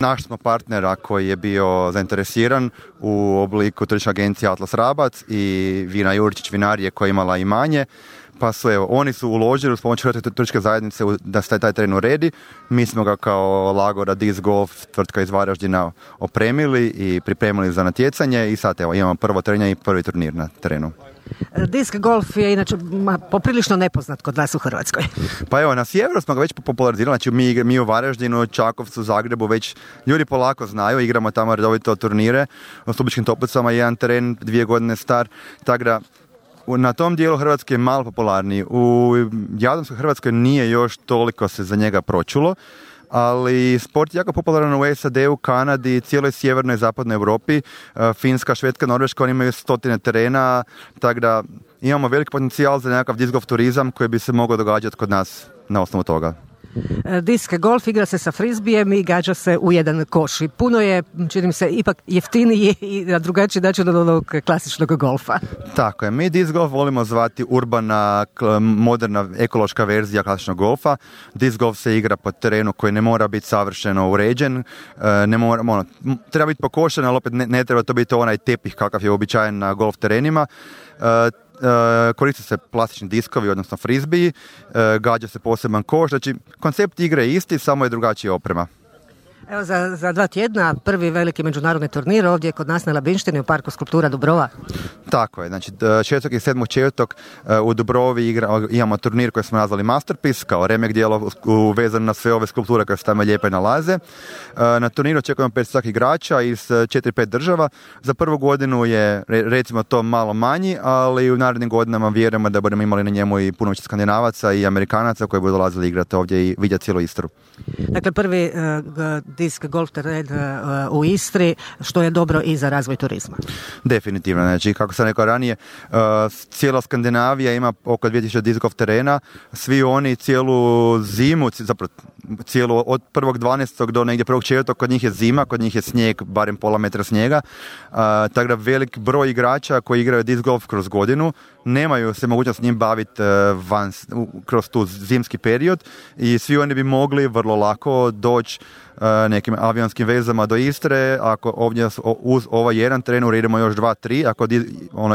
Našli smo partnera koji je bio zainteresiran u obliku turističke agencije Atlas Rabac i Vina Juričić vinarije koja je imala imanje. Pa su, oni su uložili uz pomoć Hrvatske turističke zajednice da se taj teren uredi. Mi smo ga kao Lagora Disc Golf, tvrtka iz Varaždina, opremili i pripremili za natjecanje i sad imamo prvo trenje i prvi turnir na terenu. Disc golf je inače poprilično nepoznat kod nas u Hrvatskoj. Pa na sjeveru smo ga već popularizirali, znači mi u Varaždinu, Čakovcu, Zagrebu već ljudi polako znaju, igramo tamo redovito turnire, u Stubičkim Toplicama jedan teren 2 godine star, tako da na tom dijelu Hrvatske je malo popularniji. U Jadranskoj Hrvatskoj nije još toliko se za njega pročulo, ali sport je jako popularan u SAD-u, Kanadi, cijeloj sjevernoj i zapadnoj Europi. Finska, Švedska, Norveška, oni imaju 100 terena, tako da imamo veliki potencijal za nekakav disc golf turizam koji bi se mogao događati kod nas na osnovu toga. Disc golf igra se sa frizbijem i gađa se u jedan koš. I puno je, čini mi se, ipak jeftiniji i na drugačiji način od onog klasičnog golfa. Tako je. Mi disc golf volimo zvati urbana, moderna, ekološka verzija klasičnog golfa. Disc golf se igra po terenu koji ne mora biti savršeno uređen. Treba biti pokošen, ali opet ne treba to biti onaj tepih kakav je uobičajen na golf terenima. Koriste se plastični diskovi, odnosno frizbiji, gađa se poseban koš, znači koncept igre je isti, samo je drugačija oprema. Evo za 2 tjedna prvi veliki međunarodni turnir ovdje kod nas na Labinštini u Parku skulptura Dubrova. Tako je, znači 6. i 7.4. u Dubrovi imamo turnir koji smo nazvali Masterpiece, kao remek dijelo uvezan na sve ove skulpture koje se tamo lijepe nalaze. Na turniru očekujemo 500 igrača iz 4-5 država. Za prvu godinu je recimo to malo manji, ali u narednim godinama vjerujemo da budemo imali na njemu i puno više Skandinavaca i Amerikanaca koji budu dolazili igrati ovdje i vidjeti cijelu Istru. Dakle, prvi disc golf teren u Istri, što je dobro i za razvoj turizma. Definitivno, znači kako sam rekao ranije, cijela Skandinavija ima oko 2000 disc golf terena, svi oni cijelu zimu, zapravo cijelu od 1.12. do negdje 1.4. kod njih je zima, kod njih je snijeg, barem pola metra snijega, tako da velik broj igrača koji igraju disc golf kroz godinu nemaju se mogućnost s njim baviti kroz tu zimski period i svi oni bi mogli vrlo lako doći nekim avionskim vezama do Istre, ako ovdje uz ovaj jedan teren uredimo još 2-3, ako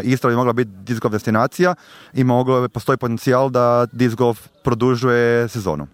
Istra bi mogla biti disc golf destinacija i postoji potencijal da disc golf produžuje sezonu.